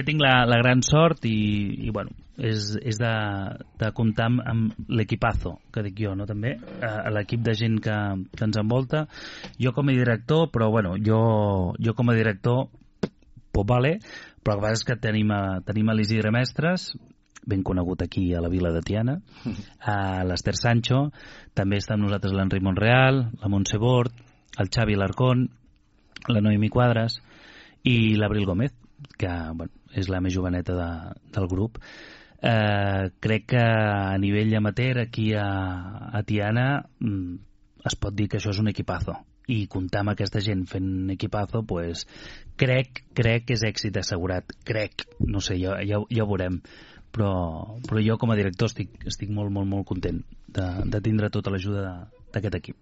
Tinc la gran sort i bueno, és de comptar amb l'equipazo, que dic jo, no, també, l'equip de gent que ens envolta. Jo com a director, però bueno, jo com a director, pues vale, però el que passa és que tenim a l'Isidre Mestres, ben conegut aquí a la vila de Tiana, a l'Ester Sancho, també està amb nosaltres l'Enric Monreal, la Montse Bord, el Xavi Larcón, la Noemi Quadras i l'Abril Gómez, que bueno, és la més joveneta del grup. Crec que a nivell amateur aquí a Tiana es pot dir que això és un equipazo, i comptar amb aquesta gent fent equipazo, pues, crec que és èxit assegurat, no sé, ja ho veurem, però jo com a director estic molt content de tindre tota l'ajuda d'aquest equip.